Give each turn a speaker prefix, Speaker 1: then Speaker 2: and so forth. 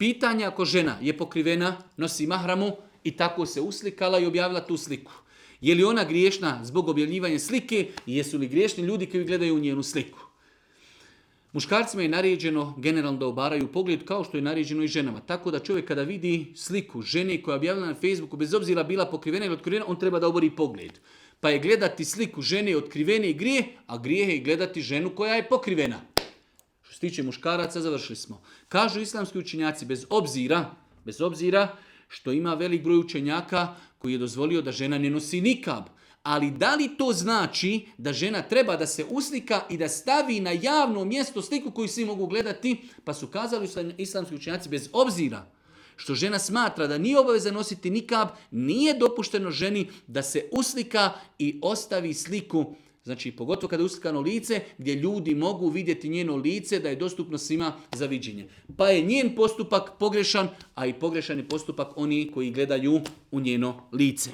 Speaker 1: Pitanje ako žena je pokrivena, nosi mahramu i tako se uslikala i objavila tu sliku. Je li ona griješna zbog objavljivanja slike i jesu li griješni ljudi koji gledaju njenu sliku? Muškarcima je naređeno generalno da obaraju pogled kao što je naređeno i ženama. Tako da čovjek kada vidi sliku žene koja je objavila na Facebooku, bez obzira bila pokrivena ili otkrivena, on treba da obori pogled. Pa je gledati sliku žene otkrivene i grijeh, a grijeh je gledati ženu koja je pokrivena. Što se tiče muškaraca, završili smo. Kažu islamski učenjaci, bez obzira što ima velik broj učenjaka koji je dozvolio da žena ne nosi nikab. Ali da li to znači da žena treba da se uslika i da stavi na javno mjesto sliku koju svi mogu gledati? Pa su kazali islamski učenjaci, bez obzira što žena smatra da nije obaveza nositi nikab, nije dopušteno ženi da se uslika i ostavi sliku. Znači, pogotovo kada je uslikano lice, gdje ljudi mogu vidjeti njeno lice, da je dostupno svima za viđenje. Pa je njen postupak pogrešan, a i pogrešan je postupak oni koji gledaju u njeno lice.